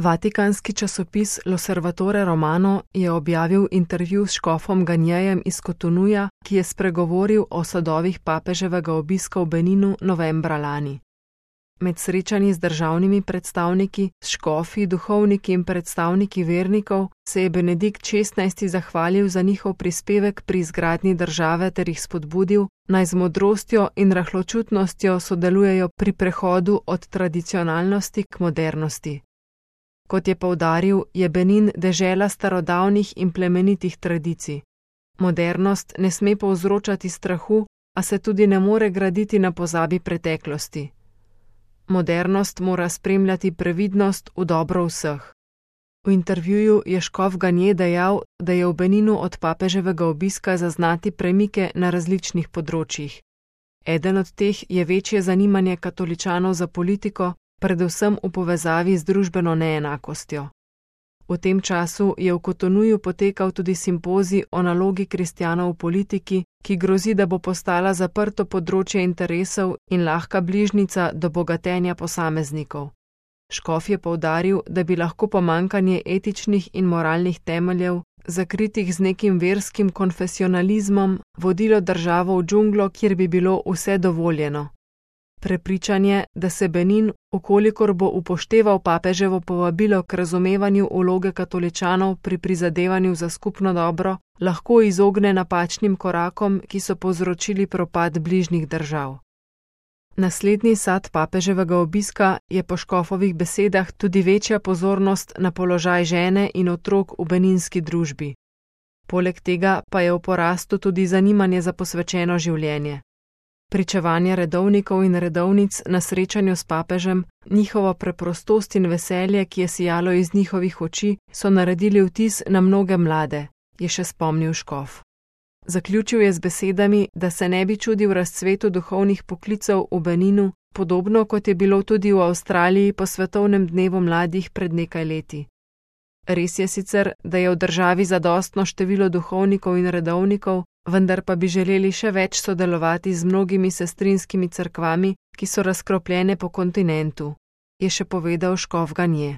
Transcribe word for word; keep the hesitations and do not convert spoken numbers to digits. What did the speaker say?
Vatikanski časopis L'Osservatore Romano je objavil intervju s škofom Ganjejem iz Cotonuja, ki je spregovoril o sadovih papeževega obiska v Beninu novembra lani. Med srečanji z državnimi predstavniki, s škofi, duhovniki in predstavniki vernikov se je Benedikt šestnajsti zahvalil za njihov prispevek pri izgradnji države ter jih spodbudil, naj z modrostjo in rahločutnostjo sodelujejo pri prehodu od tradicionalnosti k modernosti. Kot je poudaril, je Benin dežela starodavnih in plemenitih tradicij. Modernost ne sme povzročati strahu, a se tudi ne more graditi na pozabi preteklosti. Modernost mora spremljati previdnost v dobro vseh. V intervjuju je škof Ganje dejal, da je v Beninu od papeževega obiska zaznati premike na različnih področjih. Eden od teh je večje zanimanje katoličanov za politiko, predvsem v povezavi z družbeno neenakostjo. V tem času je v Cotonuju potekal tudi simpozij o nalogi kristjanov v politiki, ki grozi, da bo postala zaprto področje interesov in lahka bližnjica do bogatenja posameznikov. Škof je poudaril, da bi lahko pomanjkanje etičnih in moralnih temeljev, zakritih z nekim verskim konfesionalizmom, vodilo državo v džunglo, kjer bi bilo vse dovoljeno. Prepričanje, da se Benin, ukolikor bo upošteval papeževo povabilo k razumevanju vloge katoličanov pri prizadevanju za skupno dobro, lahko izogne napačnim korakom, ki so povzročili propad bližnjih držav. Naslednji sad papeževega obiska je po škofovih besedah tudi večja pozornost na položaj žene in otrok v beninski družbi. Poleg tega pa je v porastu tudi zanimanje za posvečeno življenje. Pričevanje redovnikov in redovnic na srečanju s papežem, njihovo preprostost in veselje, ki je sijalo iz njihovih oči, so naredili vtis na mnoge mlade, je še spomnil škof. Zaključil je z besedami, da se ne bi čudil razcvetu duhovnih poklicev v Beninu, podobno kot je bilo tudi v Avstraliji po svetovnem dnevu mladih pred nekaj leti. Res je sicer, da je v državi zadostno število duhovnikov in redovnikov, vendar pa bi želeli še več sodelovati z mnogimi sestrinskimi cerkvami, ki so razkropljene po kontinentu, je še povedal škof Ganje.